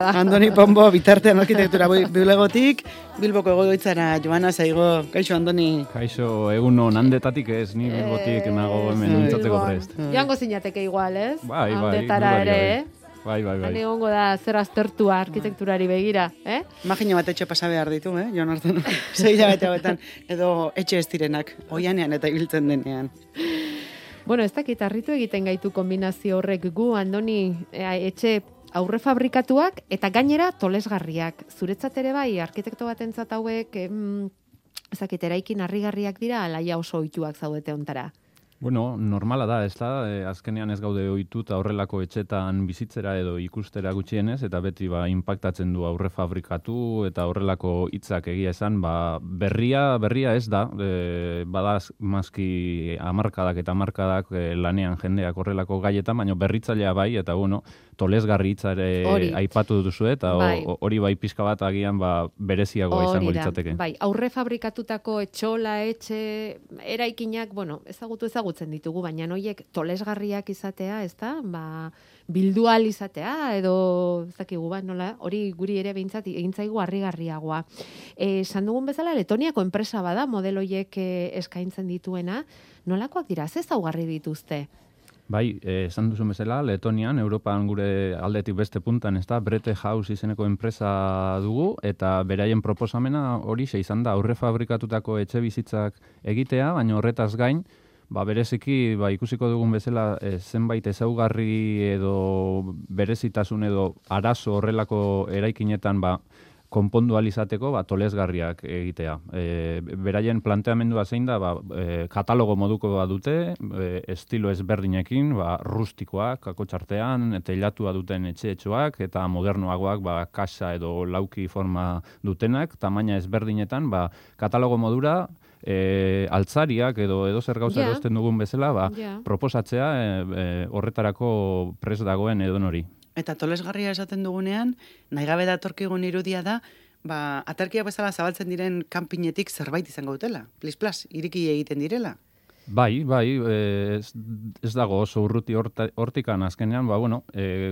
Andoni Pombo, bitartean arkitektura bulegotik, Bilboko egoitzara joana zaigo. Kaixo, Andoni. Kaixo, egun handetatik ez, ni Bilbotik nago hemen mintzatzeko prest. Joango zinateke igual, ez? Bai, Handetara ere, Bai. Han egongo da zer aztertua arkitekturari begira, eh? Imagina bat etxe pasa behar ditu, Jon Artun. 6 hilabete hauetan, edo etxe ez direnak, oianean eta ibiltzen denean. Bueno, ez dakit harritu egiten gaitu kombinazio horrek gu, Andoni, etxe aurre fabrikatuak eta gainera tolesgarriak. Zuretzat ere bai, arkitekto batentzat hauek, ezakit, eraikin harrigarriak dira, alaia oso ohituak zaudete ontara. Bueno, normala da, ez da, azkenean ez gaude ohituta horrelako etxetan bizitzera edo ikustera gutxienez, eta beti inpaktatzen du aurre fabrikatu eta horrelako hitzak egia esan, berria ez da, bada mazki hamarkadak eta hamarkadak lanean jendeak horrelako gaietan, baina berritzailea bai, eta bueno, tolesgarri hitzare aipatu duzu, eta hori bai pixka bat agian bereziagoa izango litzateke. Bai, aurre fabrikatutako etxola, etxe, eraikinak, bueno, ezagutzen ditugu, baina noiek tolesgarriak izatea, ez da? Bildual izatea, edo ez dakigu, nola, hori guri ere behintzat egintzaigu harrigarriagoa. Esan dugun bezala, Letoniako enpresa bada, modeloiek eskaintzen dituena, nolakoak dira, ze ezaugarri dituzte? Bai, esan duzun bezala, Letonian, Europan gure aldetik beste puntan, ez da, Brete House izeneko enpresa dugu, eta beraien proposamena hori izan da, aurre fabrikatutako etxe bizitzak egitea, baina horretaz gain, bereziki, ikusiko dugun bezala, zenbait ezaugarri edo berezitasun edo arazo horrelako eraikinetan, konpondu alizateko, tolesgarriak egitea. Beraien planteamendua zein da, katalogo moduko dute, estilo ezberdinekin, rustikoak, kakotxartean, teilatua duten etxeetxoak, eta modernoagoak, kasa edo lauki forma dutenak, tamaina ezberdinetan, katalogo modura, altzariak edo zer gauza erosten dugun bezala, proposatzea horretarako prest dagoen edonori. Eta tolesgarria esaten dugunean, nahi gabe datorkigun irudia da, aterkiak bezala zabaltzen diren kanpinetik zerbait izango dutela. Plis, iriki egiten direla. Bai, ez dago oso urruti hortikan azkenean,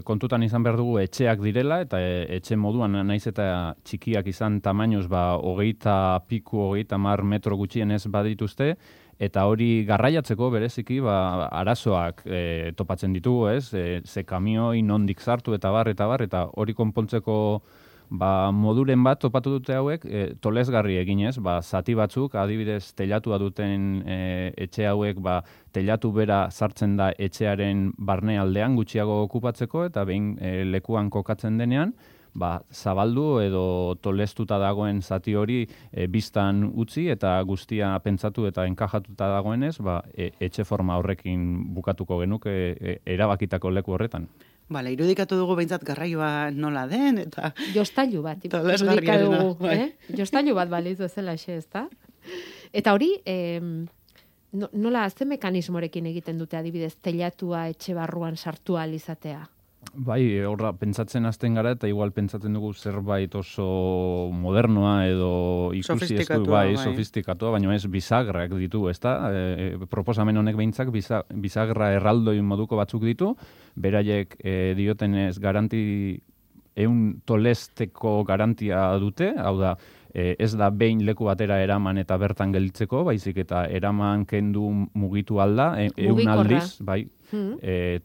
kontutan izan behar dugu etxeak direla, eta etxe moduan naiz eta txikiak izan tamainoz 30 metro gutxienez badituzte, eta hori garraiatzeko bereziki arazoak topatzen ditugu, ez? Ze kamioi nondik sartu eta eta hori konpontzeko moduren bat topatu dute hauek, tolesgarri eginez, zati batzuk, adibidez, teilatua duten etxe hauek, teilatu bera sartzen da etxearen barnealdean gutxiago okupatzeko, eta behin lekuan kokatzen denean, zabaldu edo tolestuta dagoen zati hori biztan utzi eta guztia pentsatu eta enkajatuta dagoenez, etxe forma horrekin bukatuko genuke erabakitako leku horretan. Irudikatu dugu behintzat garraioa nola den, eta... Jostailu bat, irudikatu dugu, Jostailu bat balizu ezela ez da? Eta hori, nola, ze mekanismorekin egiten dute adibidez, teilatua etxe barruan sartu ahal izatea? Bai, horra, pentsatzen hasten gara, eta igual pentsatzen dugu zerbait oso modernoa edo ikusi sofistikatua, baina ez bizagrak ditu, ez da? Proposamen honek behintzak bisagra erraldoi moduko batzuk ditu, beraiek diotenez garanti, 100 tolesteko garantia dute, hau da, ez da behin leku batera eraman eta bertan gelditzeko, baizik eta eraman kendu mugitu alda, 100 aldiz, bai,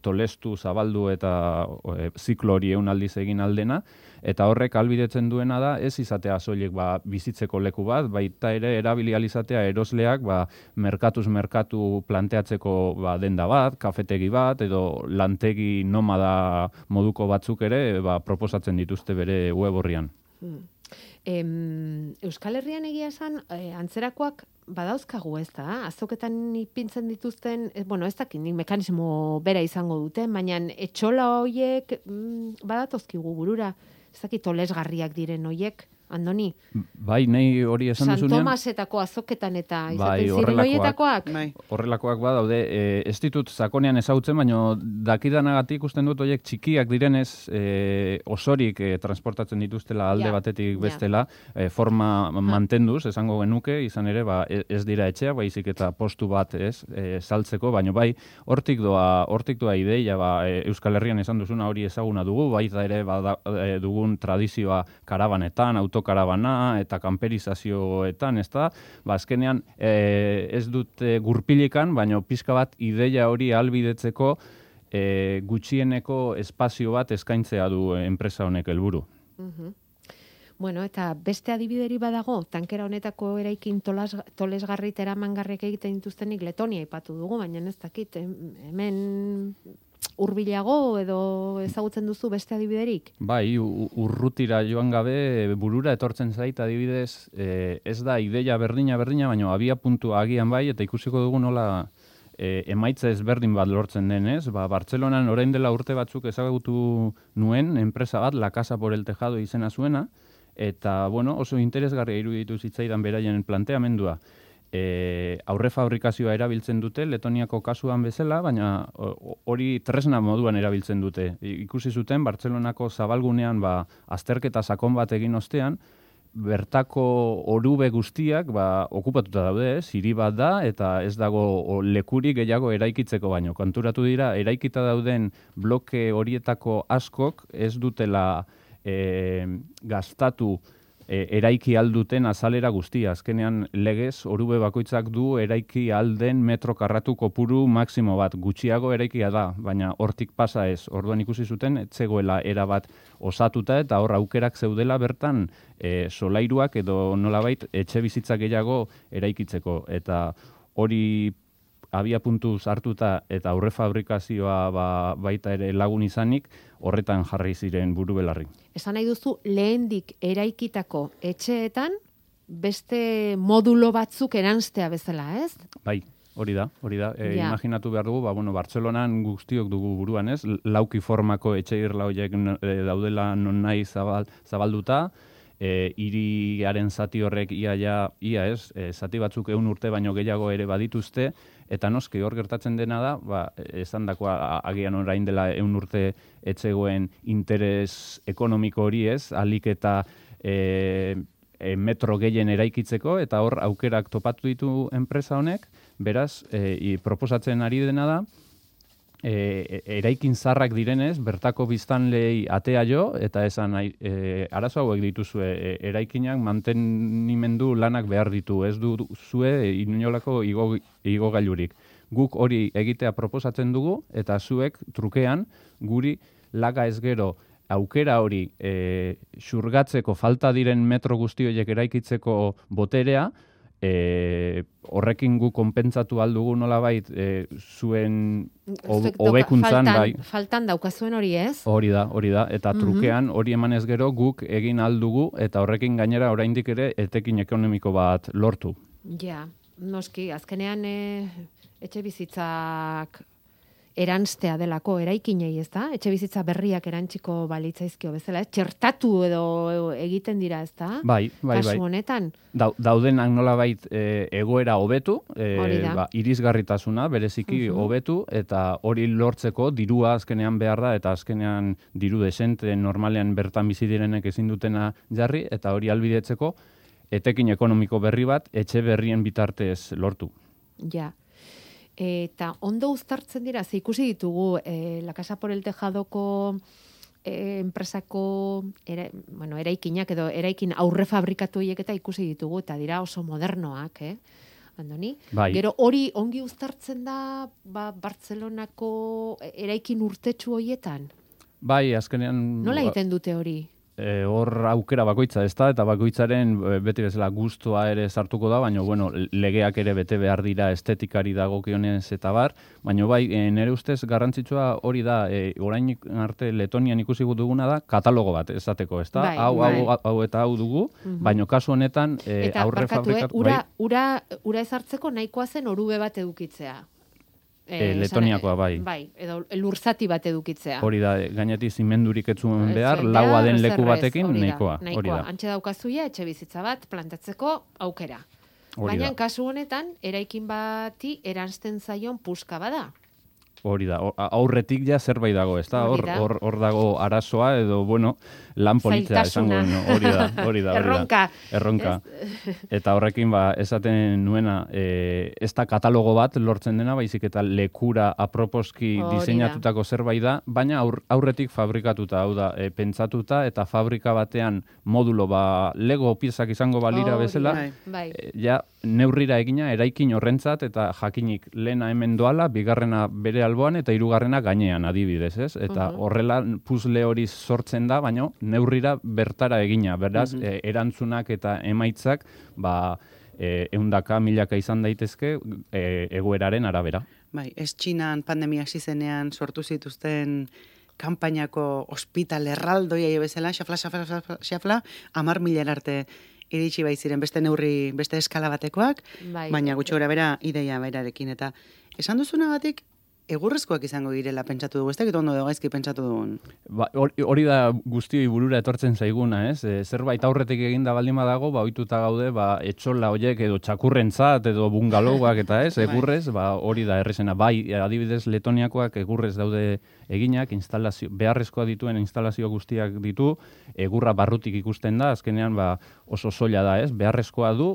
tolestu, zabaldu eta ziklo hori 100 aldiz egin aldena, eta horrek ahalbidetzen duena da, ez izatea soilik bizitzeko leku bat, baita ere erabili ahal izatea erosleak merkatuz merkatu planteatzeko denda bat, kafetegi bat, edo lantegi nomada moduko batzuk ere proposatzen dituzte bere web horrian. Euskal Herrian egia esan, antzerakoak badauzkagu, ez da? Azoketan ipintzen dituzten, ez dakit mekanismo bera izango duten, baina etxola horiek badatozkigu burura, ez dakit tolesgarriak diren horiek. Andoni? Bai, nahi hori esan duzunean. San Tomasetako azoketan eta izaten ziren horietakoak? Horrelakoak daude, ez ditut sakonean ezagutzen, baina dakidanagatik ikusten dut horiek txikiak direnez osorik transportatzen dituztela alde batetik bestela, forma mantenduz, esango genuke, izan ere, ez dira etxeak, baizik eta postu bat saltzeko, baina bai, hortik doa ideia, Euskal Herrian esan duzuna hori ezaguna dugu, baita ere dugun tradizioa karabanetan, autokarabana eta kamperizazioetan, ez da? Azkenean ez dut gurpilikan, baina pixka bat ideia hori ahalbidetzeko gutxieneko espazio bat eskaintzea du enpresa honek helburu. Bueno, eta beste adibideri badago, tankera honetako eraikin tolesgarri eta eramangarriak egiten dituztenik Letonia aipatu dugu, baina ez dakit, hemen hurbilago edo ezagutzen duzu beste adibiderik? Bai, urrutira joan gabe burura etortzen zait adibidez, ez da ideia berdina, baina abia puntua agian bai, eta ikusiko dugu nola emaitza ezberdin bat lortzen denez. Bartzelonan orain dela urte batzuk ezagutu nuen enpresa bat, La Casa por el Tejado izena zuena, eta oso interesgarria iruditu zitzaidan beraien planteamendua. Aurre fabrikazioa erabiltzen dute, Letoniako kasuan bezala, baina hori tresna moduan erabiltzen dute. Ikusi zuten, Bartzelonako zabalgunean azterketa sakon bat egin ostean, bertako orube guztiak okupatuta daude, hiri bat da, eta ez dago lekurik gehiago eraikitzeko baino. Konturatu dira, eraikita dauden bloke horietako askok ez dutela gastatu eraiki alduten azalera guztia. Azkenean legez, orube bakoitzak du eraiki alden metro karratu kopuru maksimo bat. Gutxiago eraikia da, baina hortik pasa ez. Orduan ikusi zuten, etzegoela erabat osatuta eta hor aukerak zeudela bertan solairuak edo nolabait etxe bizitzak gehiago eraikitzeko. Eta hori abia puntuz hartuta eta aurre fabrikazioa baita ere lagun izanik, horretan jarri ziren buru belarri. Esan nahi duzu, lehendik eraikitako etxeetan beste modulo batzuk eranstea bezala, ez? Bai, hori da. Imaginatu behar dugu, Bartzelonan guztiok dugu buruan, ez? Lauki formako etxe irla horiek daudela non nahi zabalduta, hiriaren zati horrek ia ez, zati batzuk 100 urte baino gehiago ere badituzte, eta noski hor gertatzen dena da, esan dakoa agian orain dela 100 urte etzegoen interes ekonomiko hori ez, alik eta metro gehien eraikitzeko, eta hor aukerak topatu ditu enpresa honek, beraz, proposatzen ari dena da, eraikin zarrak direnez, bertako biztanlei atea jo, eta esan arazo hauek dituzue, eraikinak mantenimendu lanak behar ditu, ez du zue inolako igogailurik. Guk hori egitea proposatzen dugu, eta zuek trukean guri laga ez gero aukera hori xurgatzeko falta diren metro guzti horiek eraikitzeko boterea, horrekin gu konpentsatu aldugu nolabait zuen hobekuntzan faltan daukazuen hori ez? Hori da, eta trukean hori emanez gero guk egin aldugu eta horrekin gainera oraindik ere etekin ekonomiko bat lortu. Ja, noski, azkenean etxe bizitzak eranstea delako eraikinei, ez da? Etxe bizitza berriak erantziko balitzaizkio bezala, txertatu edo egiten dira, ez da? Bai. Kasu honetan. Daudenak nolabait egoera hobetu, irisgarritasuna bereziki hobetu, eta hori lortzeko dirua azkenean behar da, eta azkenean diru desente normalean bertan bizi direnek ezin dutena jarri, eta hori albidetzeko etekin ekonomiko berri bat etxe berrien bitartez lortu. Ja. Eta ondo uztartzen dira, ze ikusi ditugu La Casa por el Tejadoko enpresako eraikinak edo eraikin aurre fabrikatu hiek eta ikusi ditugu, eta dira oso modernoak, Andoni? Bai. Gero hori ongi uztartzen da Bartzelonako eraikin urtetsu horietan? Bai, azkenean... Nola egiten dute hori? Hor aukera bakoitza ez da, eta bakoitzaren beti bezala gustua ere sartuko da, baina legeak ere bete behar dira estetikari dagokionez eta bar, baina bai, nire ustez garrantzitsua hori da, orain arte Letonian ikusi duguna da, katalogo bat esateko, ez da? Hau eta hau dugu, baina kasu honetan aurre fabrikatu... Ura ezartzeko nahikoa zen orube bat edukitzea. Letoniakoa, bai. Bai, edo lurzati bat edukitzea. Hori da, gainetik zimendurik ez zuen behar, laua den leku batekin, nahikoa. Hori da. Antxe daukazuia, etxe bizitza bat plantatzeko aukera. Baina, kasu honetan, eraikin bati eransten zaion puska bada. Hori da, aurretik ja zerbait dago, ez da? Hor dago arazoa edo, bueno, lan politza esango, hori da. Erronka. Eta horrekin, esaten nuena, ez da katalogo bat lortzen dena, baizik eta lekura aproposki diseinatutako zerbait da, baina aurretik fabrikatuta, hau da, pentsatuta, eta fabrika batean modulo, lego piezak izango balira bezala, ja, neurrira egina, eraikin horrentzat, eta jakinik lehena hemen doala, bigarrena bere alboan, eta hirugarrena gainean adibidez, ez? Eta horrela puzle hori sortzen da, baina neurrira bertara egina, beraz, erantzunak eta emaitzak, ehundaka, milaka izan daitezke, egoeraren arabera. Bai, ez Txinan pandemia hasi zenean sortu zituzten kanpainako ospital erraldoia bezala, xafla, 10.000 arte iritsi baiziren beste neurri, beste eskala batekoak, baina gutxi gora bera ideia berarekin. Eta esan duzunagatik, egurrezkoak izango girela pentsatu dugu, ez dakit ondo gaizki pentsatu dugun. Hori da guztioi burura etortzen zaiguna, ez? Zerbait aurretik eginda baldin badago, ohituta gaude, etxola hoiek edo txakurrentzat edo bungalowak eta ez, egurrez, hori da errezena. Bai, adibidez Letoniakoak egurrez daude eginak, beharrezkoa dituen instalazio guztiak ditu, egurra barrutik ikusten da, azkenean oso soila da, ez? Beharrezkoa du,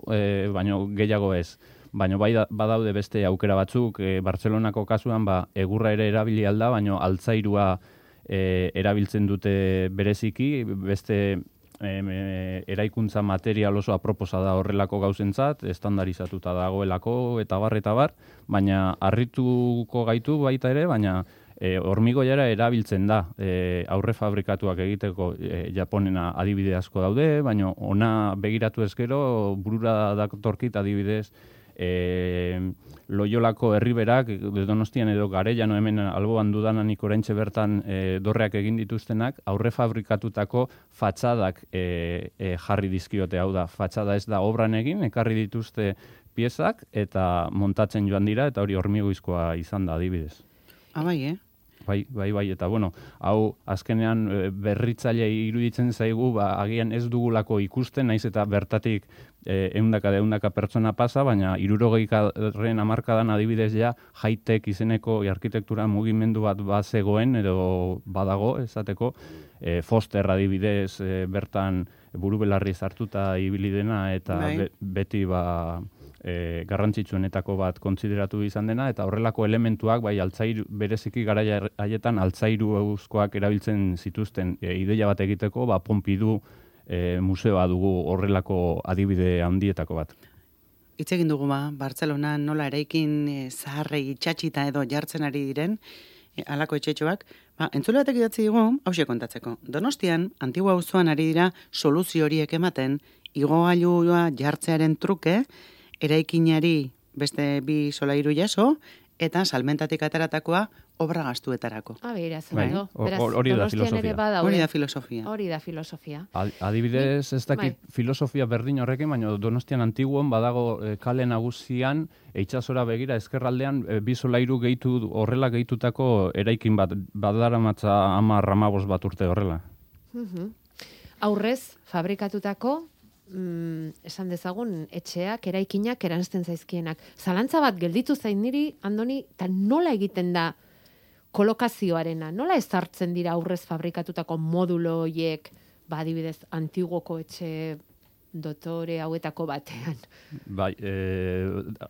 baina gehiago ez. Baina badaude beste aukera batzuk, Bartzelonako kasuan egurra ere erabili alda, baina altzairua erabiltzen dute bereziki, beste eraikuntza material oso aproposa da horrelako gauzentzat, estandarizatuta dagoelako eta bar, baina harrituko gaitu baita ere, baina hormigoiara erabiltzen da aurre fabrikatuak egiteko Japonena adibide asko daude, baina ona begiratu ezkero burura datorkit adibidez Loiolako herriberak, Donostian edo Garellano hemen alboan dudananik oraintxe bertan dorreak egin dituztenak, aurre fabrikatutako fatxadak jarri dizkiote, hau da, fatxada ez da obran egin, ekarri dituzte piezak eta montatzen joan dira, eta hori hormigoizkoa izan da adibidez. Bai, Bai, eta bueno, hau azkenean berritzaile iruditzen zaigu, agian ez dugulako ikusten, naiz eta bertatik ehundaka pertsona pasa, baina 60. hamarkadan adibidez ja high-tech izeneko arkitektura mugimendu bat bazegoen edo badago, esateko, Foster adibidez bertan burubelarri sartuta ibili dena eta beti garrantzitsuenetako bat kontsideratu izan dena, eta horrelako elementuak, altzairu, bereziki garaia haietan altzairu euskoak erabiltzen zituzten ideia bat egiteko, Pompidou museoa dugu horrelako adibide handietako bat. Hitz egin dugu Bartzelonan nola eraikin zaharrei itxatxita edo jartzen ari diren, halako etxetxoak, entzule batek idatzi digu, hauxe kontatzeko. Donostian, Antigua auzoan ari dira soluzio horiek ematen, igogailua jartzearen truke, eraikinari beste 2 solairu jaso, eta salmentatik ateratakoa obra gastuetarako. Hori da filosofia. Adibidez, ez dakit filosofia berdin horrekin, baina Donostian Antiguon badago kale nagusian, itsasora begira ezkerraldean 2 solairu horrela gehitutako eraikin bat, badaramatza 10-15 bat urte horrela. Aurrez fabrikatutako esan dezagun etxeak, eraikinak eranzten zaizkienak. Zalantza bat gelditu zain niri, Andoni, eta nola egiten da kolokazioarena? Nola ezartzen dira aurrez fabrikatutako modulo horiek, adibidez, Antiguoko etxe dotore hauetako batean?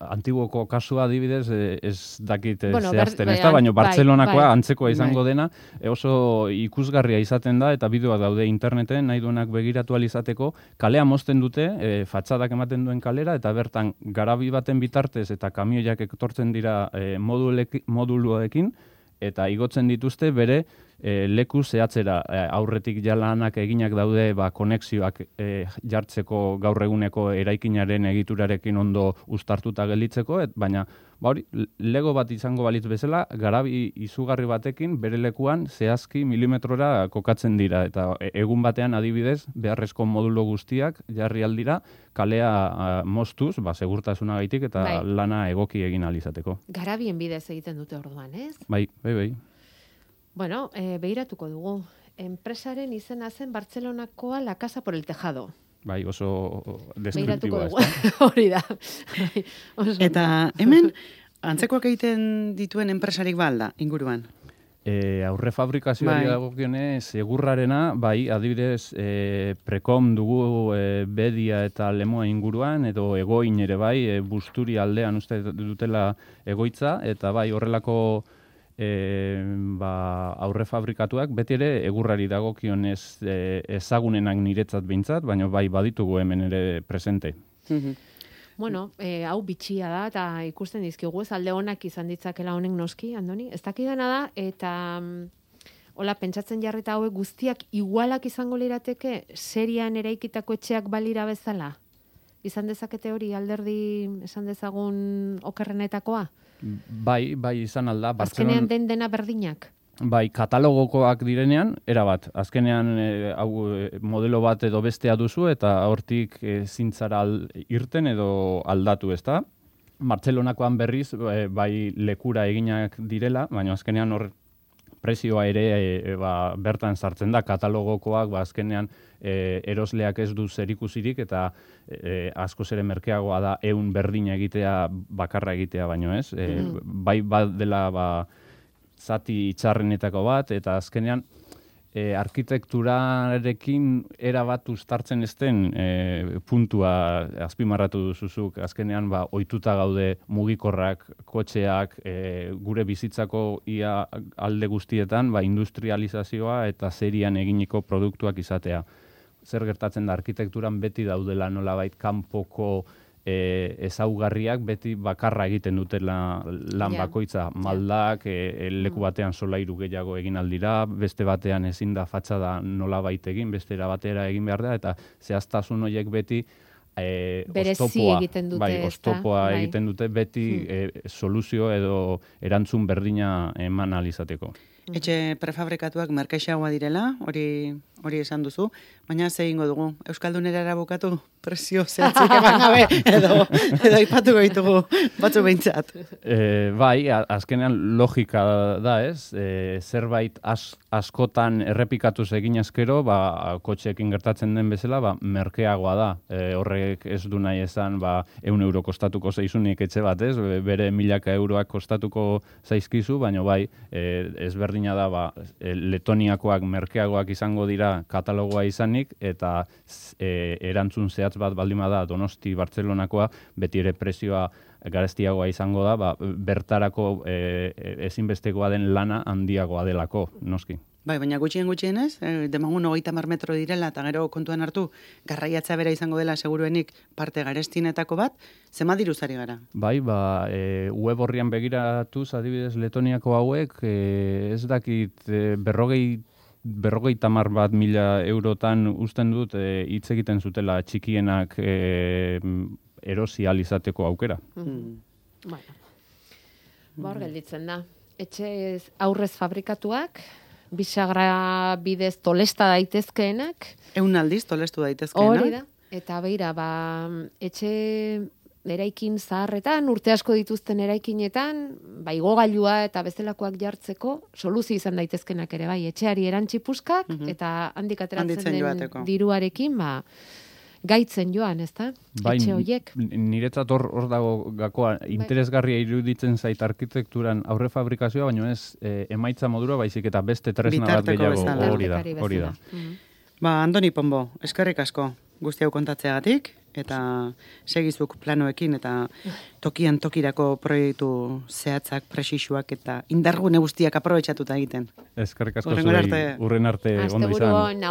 Antiguoko kasua adibidez, ez dakit zehazten, ez da, baina Bartzelonakoa antzekoa izango dena, oso ikusgarria izaten da, eta bideoak daude interneten, nahi duenak begiratu alizateko, kalea mozten dute, fatxadak ematen duen kalera, eta bertan garabi baten bitartez eta kamioiak etortzen dira moduluekin, eta igotzen dituzte bere leku zehatzera aurretik jalanak eginak daude konexioak jartzeko gaur eguneko eraikinaren egiturarekin ondo uztartuta gelditzeko, baina hori, lego bat izango balitz bezala, garabi izugarri batekin bere lekuan zehazki milimetrora kokatzen dira. Eta egun batean adibidez, beharrezko modulo guztiak jarri aldira, kalea moztuz, segurtasunagaitik eta lana egoki egin alizateko. Garabien bidez egiten dute orduan, ez? Bai. Bueno, behiratuko dugu. Enpresaren izena zen Bartzelonakoa La Casa por el Tejado. Bai, oso deskriptiboa. Hori da. Eta hemen, antzekoak egiten dituen enpresarik balda, inguruan? Aurre fabrikazioari dagokionez egurrarena, adibidez, Prekom dugu Bedia eta Lemoa inguruan, edo Egoin ere Busturi aldean uste dutela egoitza, eta horrelako aurre fabrikatuak, beti ere egurrari dagokionez ezagunenak niretzat behintzat, baina baditugu hemen ere presente. Bueno, hau bitxia da, eta ikusten dizkigu, ez alde honak izan ditzakela honek noski, Andoni, ez dakidana da, eta hola, pentsatzen jarrita hauek guztiak igualak izango lirateke serian eraikitako etxeak balira bezala? Izan dezakete hori alderdi esan dezagun okerrenetakoa? Bai, izan alda. Azkenean dena berdinak? Bai, katalogokoak direnean, erabat. Azkenean modelo bat edo bestea duzu eta hortik zintzara irten edo aldatu, ezta? Bartzelonakoan berriz, bai lekura eginak direla, baina azkenean hor prezioa ere bertan sartzen da, katalogokoak azkenean erosleak ez du zerikusirik eta askoz ere merkeagoa da 100 berdina egitea, bakarra egitea baino ez. Bai dela zati itxarrenetako bat, eta azkenean arkitekturarekin erabat uztartzen ezten puntua azpimarratu duzuzuk. Azkenean ohituta gaude mugikorrak, kotxeak, gure bizitzako ia alde guztietan industrializazioa eta serian eginiko produktuak izatea. Zer gertatzen da arkitekturan beti daudela nolabait kanpoko ezaugarriak beti bakarra egiten dutela lan bakoitza. Maldak, leku batean solairu gehiago egin aldira, beste batean ezin da fatxada nolabait egin, bestera batera egin behar da, eta zehaztasun horiek beti oztopoa egiten dute beti soluzio edo erantzun berdina eman alizateko. Etxe prefabrikatuak merkexagoa direla, hori esan duzu, baina ze egingo dugu, Euskaldunera erabukatu presio zehatzik eman gabe, edo ipatuko ditugu batzu behintzat. Bai, azkenean logika da ez, zerbait askotan errepikatuz egin ezkero, kotxeekin gertatzen den bezala, merkeagoa da. Horrek ez du nahi esan, 100 euro kostatuko zaizunik etxe bat ez, bere 1000 euroak kostatuko zaizkizu, baina ezberdina da, Letoniakoak merkeagoak izango dira katalogoa izanik, eta erantzun zehatz bat baldin bada Donosti Bartzelonakoa, beti ere prezioa garestiagoa izango da, bertarako ezinbestekoa den lana handiagoa delako, noski. Bai, baina gutxienez, demagun 30 metro direla, eta gero kontuan hartu, garraiatza bera izango dela seguruenik parte garestinetako bat, zema diruzari gara? Bai, web horrian begiratuz, adibidez Letoniako hauek, ez dakit 50.000 eurotan usten dut hitz egiten zutela txikienak erosi alizateko aukera. Hor gelditzen da. Etxe aurrez fabrikatuak, bisagra bidez tolesta daitezkeenak. 100 aldiz tolestu daitezkeenak. Hori da. Eta beira, etxe eraikin zaharretan, urte asko dituzten eraikinetan, igogailua eta bezalakoak jartzeko, soluzio izan daitezkenak ere, etxeari erantzipuskak, eta handik ateratzen den diruarekin, gaitzen joan, ez da? Etxe horiek. Niretzat hor dago gakoa, interesgarria iruditzen zait arkitekturan aurre fabrikazioa, baina ez emaitza modura, baizik eta beste tresna bat gehiago. Hori da. Andoni Pombo, eskerrik asko guzti hau kontatzeagatik, eta segizuk planoekin, eta tokian tokirako proiektu zehatzak, presisuak, eta indargune guztiak aprobetxatuta egiten. Eskerrik asko zuei, urren arte ondo izan.